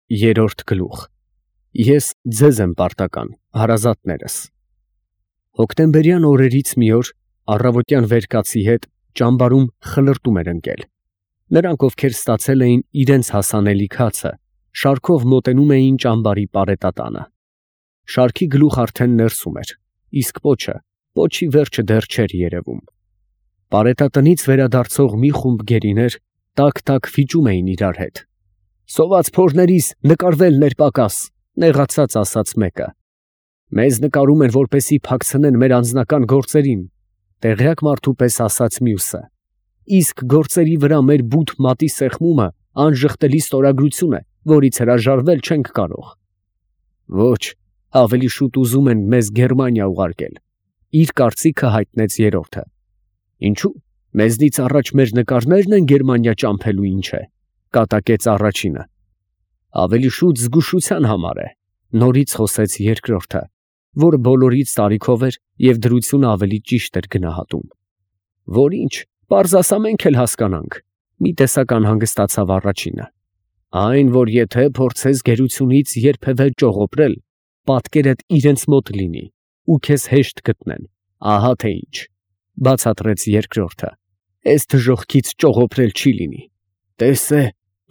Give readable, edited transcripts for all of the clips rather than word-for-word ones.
Երրորդ գլուխ։ Ես ձեզ եմ պարտական, հարազատներս։ Հոկտեմբերյան օրերից մի օր առավոտյան վեր կացի հետ ճամբարում խլրտում էր ընկել։ Նրանք, ովքեր ստացել էին իրենց հասանելի քացը, շարքով մոտենում էին ճամբարի պարետատանը։ Շարքի գլուխ արդեն ներսում էր, իսկ պոչի վերջը դեռ չէր երևում։ Պարետատնից վերադարձող մի խումբ գերիներ տակ վիճում էին իրար հետ։ «Սոված փորներիս նկարվելն էր պակաս», նեղացած ասաց մեկը։ «Մեզ նկարում են, որպեսզի փակցնեն մեր անձնական գործերին», տեղյակ մարդու պես ասաց մյուսը։ «Իսկ գործերի վրա մեր բութ մատի սեղմումը անժխտելի ստորագրություն է, որից հրաժարվել չենք կարող»։ «Ոչ, ավելի շուտ ուզում են մեզ Գերմանիա ուղարկել», իր կարծիքը հայտնեց երրորդը։ «Ինչու՞, մեզնից առաջ մեր նկարներն են Գերմանիա ճամփելու, ինչ է», կատակեց առաջինը։ «Ավելի շուտ զգուշության համար է», նորից խոսեց երկրորդը, որը բոլորից տարիքով էր և դրությունը ավելի ճիշտ էր գնահատում։ «Որ ինչ, պարզ ասա, մենք էլ հասկանանք», մի տեսակ անհանգստացավ առաջինը։ «Այն, որ եթե փորձես գերությունից երբևէ ճողոպրել, պատկերդ իրենց մոտ լինի ու քեզ հեշտ գտնեն, ահա թե ինչ», բացատրեց երկրորդը։ «Էս դժոխքից ճողոպրել չի լինի։ Տես է,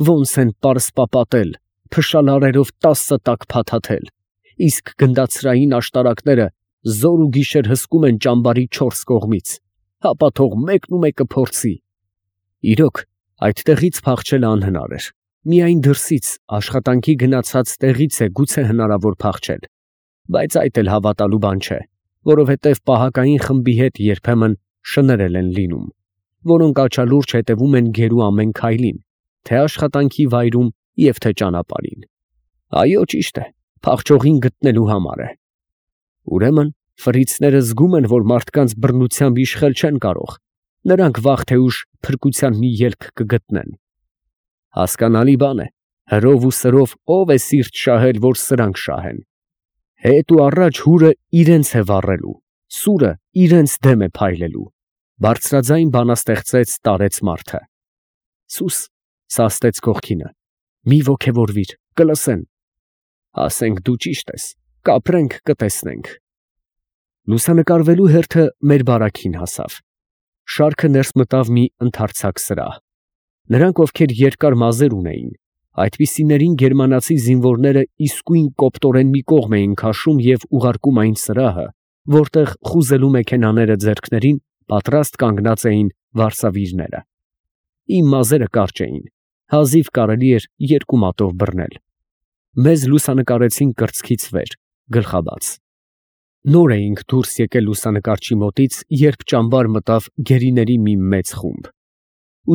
ոնց են պարսպապատել, փշալարերով 10 տակ փաթաթել, իսկ գնդացրային աշտարակները զոր ու գիշեր հսկում են ճամբարի 4 կողմից, հապա թող մեկն ու մեկը փորձի»։ Իրոք, այդտեղից փախչելը անհնար էր։ Միայն դրսից, աշխատանքի գնացած տեղից է գուցե հնարավոր փախչել, բայց այդ էլ հավատալու բան չէ, որովհետև պահակային խմբի հետ երբեմն շներել են լինում, որոնք աչալուրջ հետևում են գերու ամեն քայլին, թե աշխատանքի վայրում և թե ճանապարհին։ Այո, ճիշտ է, փախչողին գտնելու համար է։ Ուրեմն ֆրիցները զգում են, որ մարդկանց բռնությամբ իշխել չեն կարող, նրանք վաղ թե ուշ փրկության մի ելք կգտնեն։ Հասկանալի բան է, հրով ու սրով ով է սիրտ շահել, որ սրանք շահեն։ Հետ ու առաջ հուրը իրենց է վառելու, սուրը իրենց դեմ է փայլելու, բարձրաձայն բանաստեղծեց տարեց մարդը։ Սուս, սաստեց կողքինը, մի ոգևորվիր, կլսեն։ Ասենք դու ճիշտ ես, կապրենք, կտեսնենք։ Լուսանկարվելու հերթը մեր բարաքին հասավ։ Շարքը ներս մտավ մի ընդարձակ սրահ։ Նրանք, ովքեր երկար մազեր ունեին, այդպիսիներին գերմանացի զինվորները իսկույն կոպտորեն մի կողմ էին քաշում և ուղարկում այն սրահը, որտեղ խուզելու մեքենաները ձեռքներին պատրաստ կանգնած էին վարսավիրները։ Իմ մազերը կարճ էին, հազիվ կարելի էր 2 մատով բռնել։ Մեզ լուսանկարեցին կրծքից վեր, գլխաբաց։ Նոր էինք դուրս եկել լուսանկարչի մոտից, երբ ճամբար մտավ գերիների մի մեծ խումբ։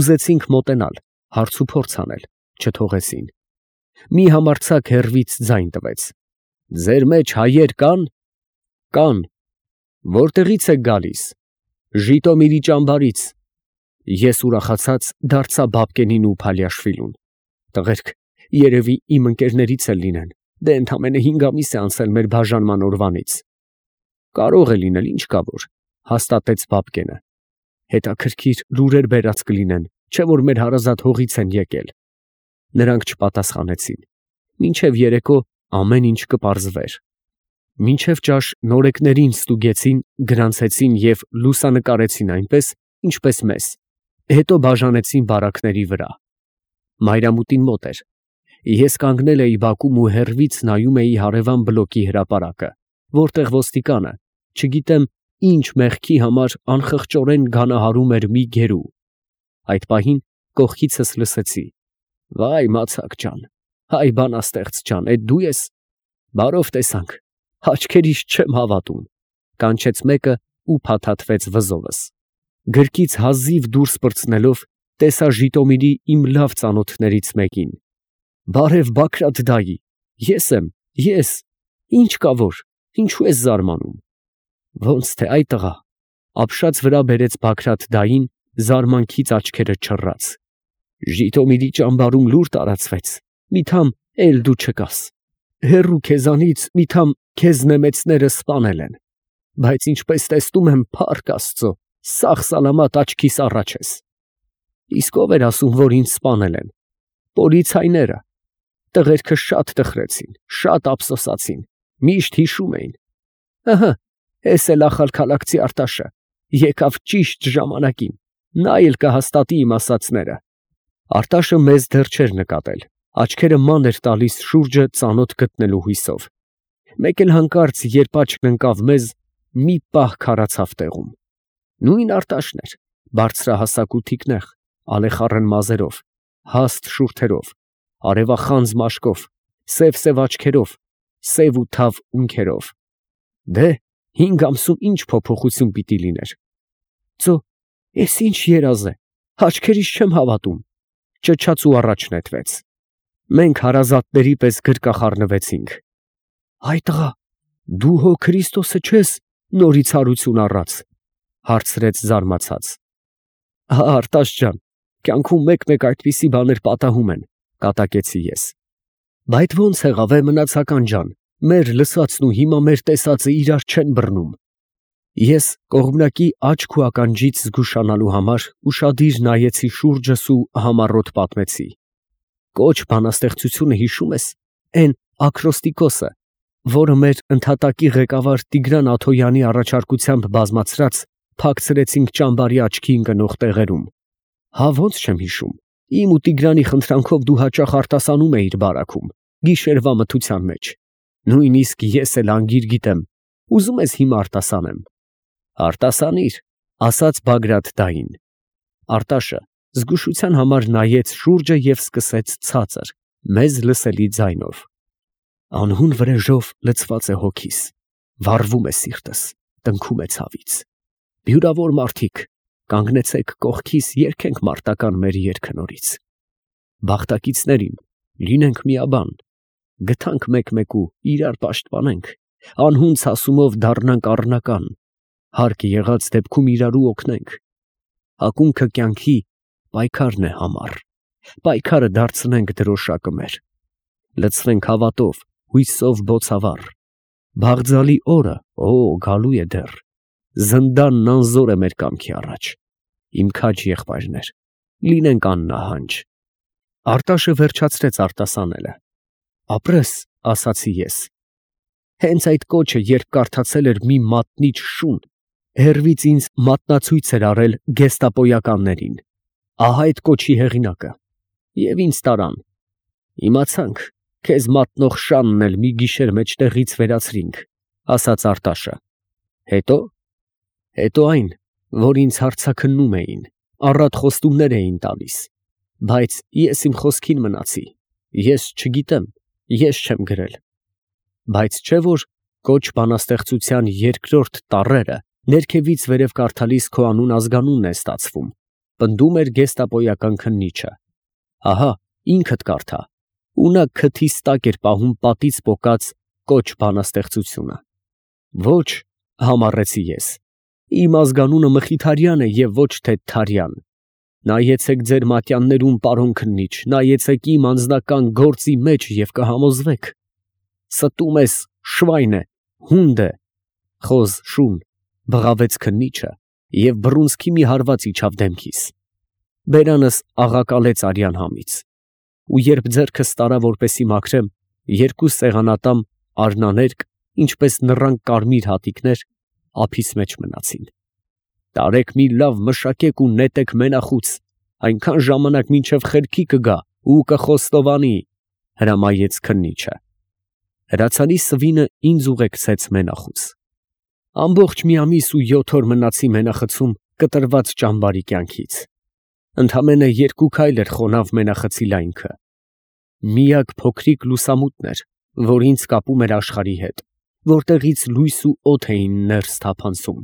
Ուզեցինք մոտենալ, հարցուփորձ անել, չթողեցին։ Մի համարձակ հեռվից ձայն տվեց. «Ձեր մեջ հայեր կան»։ «Կան»։ «Որտեղից եք գալիս»։ «Ժիտոմիրի ճամբարից»։ Ես ուրախացած դարձա Բաբկենին ու Փալյաշվիլուն։ «Տղերք, երևի իմ ընկերներից էլ լինեն, դե ընդամենը 5 ամիս է անցել մեր բաժանման օրվանից»։ «Կարող է լինել, ինչ կա որ», հաստատեց Բաբկենը։ «Հետաքրքիր լուրեր բերած կլինեն, չէ՞ որ մեր հարազատ հողից են եկել»։ Նրանք չպատասխանեցին։ Մինչև երեկո ամեն ինչ կպարզվեր։ Մինչև ճաշ նորեկներին ստուգեցին, գրանցեցին և լուսանկարեցին այնպես, ինչպես մեզ, հետո բաժանեցին բարակների վրա։ Մայրամուտին մոտ էր։ Ես կանգնել էի բակում ու հեռվից նայում էի հարևան բլոկի հրապարակը, որտեղ ոստիկանը, չգիտեմ ինչ մեղքի համար, անխղճորեն գանահարում էր մի գերու։ Այդ պահին կողքիցս լսեցի. «Վայ, մացակ ջան, հայ բանաստեղծ ջան, էդ դու ես։ Բարով տեսանք, աչքերիս չեմ հավատում», կանչեց մեկը ու փաթաթվեց վզովս։ Գրկից հազիվ դուրս պրծնելով, տեսա Ժիտոմիրի իմ լավ ծանոթներից մեկին։ «Բարև Բագրատ դայի, ես եմ, ես։ Ինչ կա որ, ինչու ես զարմանում»։ «Ոնց թե այ տղա», ապշած վրա բերեց Բագրատ դային, զարմանքից աչքերը չռած։ «Ժիտոմիրի ճամբարում լուր տարածվեց, միթամ էլ դու չկաս։ Հեռու քեզանից միթամ քեզ նեմեցները սպանել են, բայց ինչպես տեսնում եմ, փառք Աստծո, սաղ֊սալամատ աչքիս առաջ ես»։ «Իսկ ով էր ասում, որ ինձ սպանել են»։ «Պոլիցայները»։ Տղերքը շատ տխրեցին, շատ ափսոսացին, միշտ հիշում էին. ըհը, էս էլ ախալքալաքցի Արտաշը եկավ ճիշտ ժամանակին, նա էլ կհաստատի իմ ասածները։ Արտաշը մեզ դեռ չէր նկատել, աչքերը ման էր տալիս շուրջը ծանոթ գտնելու հույսով։ Մեկ էլ հանկարծ, երբ աչքն ընկավ մեզ, մի պահ քարացավ տեղում։ Նույն Արտաշն էր, բարձրահասակ ու թիկնեղ, ալեխառն մազերով, հաստ շուրթերով, արևախանձ մաշկով, սև աչքերով, սև ու թավ ունքերով։ Դե, 5 ամսում ինչ փոփոխություն պիտի լիներ։ Ծո, ես ինչ երազ է, աչքերիս չեմ հավատում, ճչաց ու առաջ նետվեց։ Մենք հարազատների պես գրկախառնվեցինք։ Այ տղա, դու հո Քրիստոսը չես, նորից հարություն առած, հարցրեց զարմացած։ Հա, Արտաշ ջան, կյանքում մեկ-մեկ այդպիսի բաներ պատահում են, կատակեցի ես։ Բայց ո՞նց եղավ է մնացական ջան, մեր լսածն ու հիմա մեր տեսածը իրար չեն բռնում։ Ես կողմնակի աչք ու ականջից զգուշանալու համար ուշադիր նայեցի շուրջս ու համառոտ պատմեցի։ Կոչ բանաստեղծությունը հիշում ես, էն ակրոստիկոսը, որը մեր ընդհատակի ղեկավար Տիգրան Աթոյանի առաջարկությամբ բազմացրած փակցրեցինք ճամբարի աչքի ընկնող տեղերում։ Հա ոնց չեմ հիշում, իմ ու Տիգրանի խնդրանքով դու հաճախ արտասանում էիր բարաքում, գիշերվա մթության մեջ։ Նույնիսկ ես էլ անգիր գիտեմ, ուզում ես հիմա արտասանեմ։ Արտասանիր, ասաց Բագրատ դային։ Արտաշը զգուշության համար նայեց շուրջը և սկսեց ցածր, մեզ լսելի ձայնով. Անհուն վրեժով լցված է հոգիս, վառվում է սիրտս, տնքում է ցավից։ Բյուրավոր մարդիկ, կանգնեցեք կողքիս, երգենք մարտական մեր երգը նորից։ Բախտակիցներին, լինենք միաբան, գթանք մեկ-մեկու, իրար պաշտպանենք, անհուն ցասումով դառնանք առնական, հարկ եղած դեպքում իրարու օգնենք։ Ակունքը կյանքի պայքարն է համար, պայքարը դարձնենք դրոշակը մեր, լցվենք հավատով, հույսով բոցավառ, բաղձալի օրը, գալու է դեռ, զնդանն անզոր է մեր կամքի առաջ, իմ քաջ եղբայրներ, լինենք աննահանջ։ Արտաշը վերջացրեց արտասանելը։ Ապրես, ասացի ես։ Հենց այդ կոչը, երբ կարդացել էր մի մատնիչ շուն, հեռվից ինձ մատնացույց էր արել գեստապոյականներին։ Ահա այդ կոչի հեղինակը։ Եվ ինձ տարան։ Իմացանք, քեզ մատնող շանն էլ մի գիշեր մեջտեղից վերացրինք, ասաց Արտաշը։ Հետո այն, որ ինձ հարցաքննում էին, առատ խոստումներ էին տալիս, բայց ես իմ խոսքին մնացի, ես չգիտեմ, ես չեմ գրել։ Բայց չէ որ կոչ բանաստեղծության երկրորդ տառերը ներքևից վերև կարդալիս քո անուն ազգանունն է ստացվում, պնդում էր գեստապոյական քննիչը։ Ահա, ինքդ կարդա, ու նա քթիս տակ էր պահում պատից պոկած կոչ բանաստեղծությունը։ Ոչ, համառեցի ես, իմ ազգանունը Մխիթարյան է և ոչ թե Թարյան։ Նայեցեք ձեր մատյաններում, պարոն քննիչ, նայեցեք իմ անձնական գործի մեջ և կհամոզվեք։ Ստում ես, շվայն է, հունդ է, խոզ շուն, բղավեց քննիչը և բռունցքի մի հարված իջավ դեմքիս։ Բերանս աղակալեց արյան համից։ Ու երբ ձեռքս տարա, որպեսի մաքրեմ, երկու սեղանատամ արնաներկ, ինչպես նռան կարմիր հատիկներ, ափիս մեջ մնացին։ Տարեք մի լավ մշակեք ու նետեք մենախուց, այնքան ժամանակ մինչև խելքի կգա ու կխոստովանի, հրամայեց քննիչը։ Հրացանի սվինը ինձ ուղեկցեց մենախուց։ Ամբողջ մի ամիս ու 7 օր մնացի մենախցում կտրված ճամբարի կյանքից։ Ընդամենը 2 քայլ էր խոնավ մենախցի լայնքը։ Միակ փոքրիկ լուսամուտն էր, որ ինձ կապում էր աշխարհի հետ, որտեղից լույս ու օդ էին ներս թափանցում,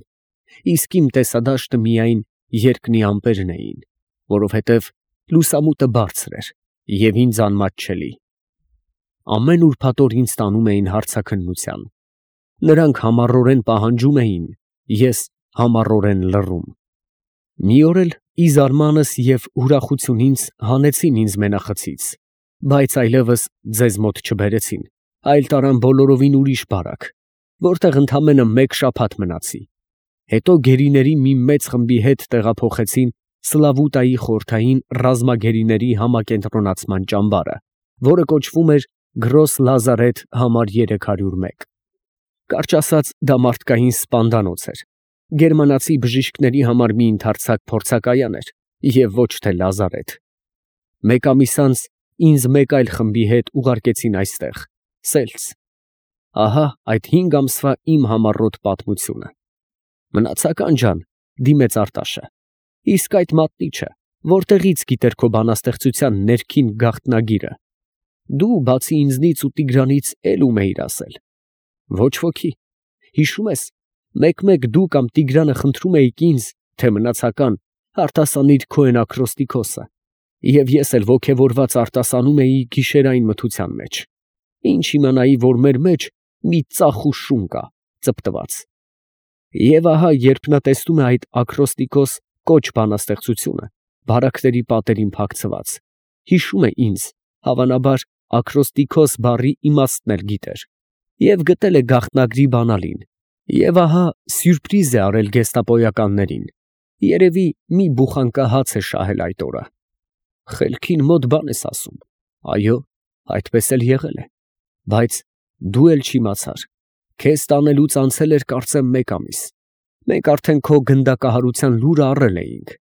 իսկ իմ տեսադաշտը միայն երկնի ամպերն էին, որովհետև լուսամուտը բարձր էր և ինձ անմատչելի։ Ամեն ուրբաթ օր ինձ տանում էին հարցաքննության։ Նրանք համառորեն պահանջում էին, ես համառորեն լռում։ Մի օր էլ ի զարմանս և ուրախությունից հանեցին ինձ մենախցից, բայց այլևս ձեզ մոտ չբերեցին, այլ տարան բոլորովին ուրիշ բարակ, որտեղ ընդամենը 1 շաբաթ մնացի։ Հետո գերիների մի մեծ խմբի հետ տեղափոխեցին Սլավուտայի խորհրդային ռազմագերիների համակենտրոնացման ճամբարը, որը կոչվում էր Գրոս Լազարեթ համար 301։ Կարճ ասած, դա մարդկային սպանդանոց էր, գերմանացի բժիշկների համար մի ընդարձակ փորձակայան էր և ոչ թե լազարեթ։ Մեկ ամիս անց ինձ մեկ այլ խմբի հետ ուղարկեցին այստեղ, Սելց։ Ահա այդ 5 ամսվա իմ համառոտ պատմությունը։ Մնացական ջան, դիմեց Արտաշը, իսկ այդ մատնիչը որտեղից գիտեր քո բանաստեղծության ներքին գաղտնագիրը։ Դու բացի ինձնից ու Տիգրանից էլ ում էիր ասել։ Ոչ ոքի։ Հիշում ես, մեկ-մեկ դու կամ Տիգրանը խնդրում էիք ինձ, թե մնացական արտասանիր քո այն ակրոստիկոսը, և ես էլ ոգևորված արտասանում էի գիշերային մթության մեջ։ Ինչ իմանայի, որ մեր մեջ մի ծախ ու շուն կա, ծպտված։ Եվ ահա, երբ նա տեսնում է այդ ակրոստիկոս կոչ բանաստեղծությունը, բարակների պատերին փակցված, հիշում է ինձ, հավանաբար ակրոստիկոս բառի իմաստն էլ գիտեր, և գտել է գաղտնագրի բանալին, և ահա սյուրպրիզ է արել գեստապոյականներին, երևի մի բուխանկա հաց է շահել այդ օրը։ Խելքին մոտ բան ես ասում, այո, այդպես էլ եղել է, բայց դու էլ չիմացար, քեզ տանելուց անցել էր կարծեմ 1 ամիս, մենք արդեն քո գնդակահարության լուրը առել էինք։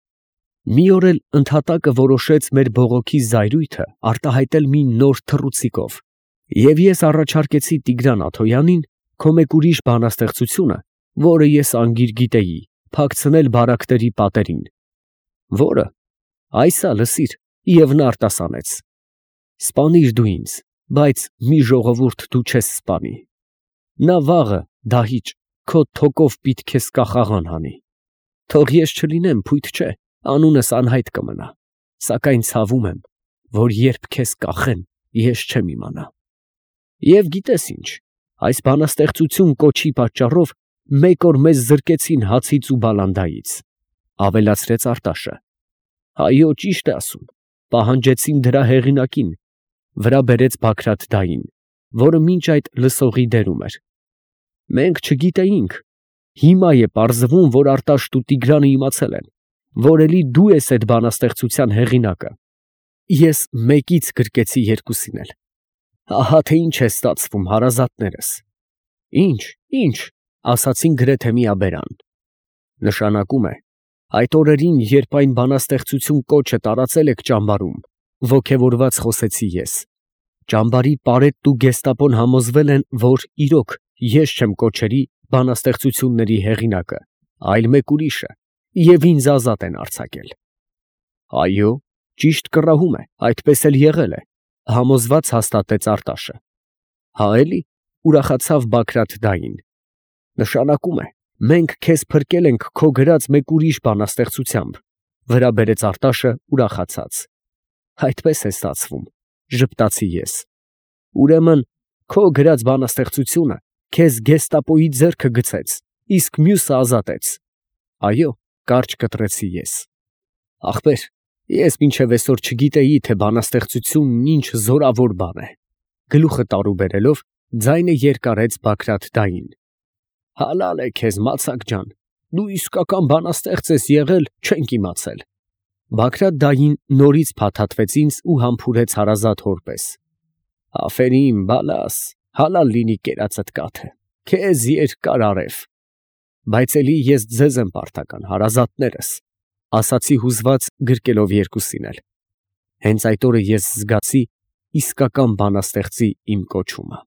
Մի օր էլ ընդհատակը որոշեց մեր բողոքի զայրույթը արտահայտել մի նոր թռուցիկով, և ես առաջարկեցի Տիգրան Աթոյանին քո մեկ ուրիշ բանաստեղծությունը, որը ես անգիր գիտեի, փակցնել բարակների պատերին, որը, այսա լսիր, և նա արտասանեց. սպանիր դու ինձ, բայց մի ժողովուրդ դու չես սպանի, նա վաղը, դահիճ, քո թոկով պիտի քեզ կախաղան հանի, թող ես չլինեմ, փույթ չէ, անունս անհայտ կմնա, սակայն ցավում եմ, որ երբ քեզ կախեն, ես չեմ իմանա։ Եվ գիտես ինչ, այս բանաստեղծություն կոչի պատճառով մեկ օր մեզ զրկեցին հացից ու բալանդայից, ավելացրեց Արտաշը։ Այո, ճիշտ է ասում, պահանջեցին դրա հեղինակին, վրա բերեց Բագրատ֊դային, որը մինչ այդ լսողի դերում էր։ Մենք չգիտեինք, հիմա է պարզվում, որ Արտաշն ու Տիգրանը իմացել են, որ էլի դու ես այդ բանաստեղծության հեղինակը։ Ես մեկից գրկեցի երկուսին էլ։ Ահա թե ինչ է ստացվում, հարազատներս։ Ինչ, ասացին գրեթե միաբերան։ Նշանակում է, այդ օրերին, երբ այն բանաստեղծություն կոչը տարածել եք ճամբարում, ոգևորված խոսեցի ես։ Ճամբարի պարետն ու գեստապոն համոզվել են, որ իրոք ես չեմ կոչերի բանաստեղծությունների հեղինակը, այլ մեկ ուրիշը, և ինձ ազատ են արձակել։ Այո, ճիշտ կռահում է, այդպես էլ եղել է, համոզված հաստատեց Արտաշը։ Հա էլի, ուրախացավ Բագրատ֊դային։ Նշանակում է, մենք քեզ փրկել ենք քո գրած մեկ ուրիշ բանաստեղծությամբ, վրա բերեց Արտաշը ուրախացած։ Այդպես է ստացվում, ժպտացի ես։ Ուրեմն, քո գրած բանաստեղծությունը քեզ գեստապոյի ձեռքը գցեց, իսկ մյուսը ազատեց։ Այո, կարճ կտրեցի ես։ Ախպեր, ես մինչև այսօր չգիտեի, թե բանաստեղծությունն ինչ զորավոր բան է։ Գլուխը տարուբերելով, ձայնը երկարեց Բագրատ֊դային։ Հալալ է քեզ, մացակ ջան, դու իսկական բանաստեղծ ես եղել, չենք իմացել։ Բագրատ֊դային նորից փաթաթվեց ինձ ու համբուրեց հարազատ հոր պես։ Աֆերիմ, բալաս, հալալ լինի կերածդ կաթը, քեզ երկար արև։ Բայց էլի ես ձեզ եմ պարտական, հարազատներս, ասացի հուզված գրկելով երկուսին էլ։ Հենց այդ օրը ես զգացի իսկական բանաստեղծի իմ կոչումը։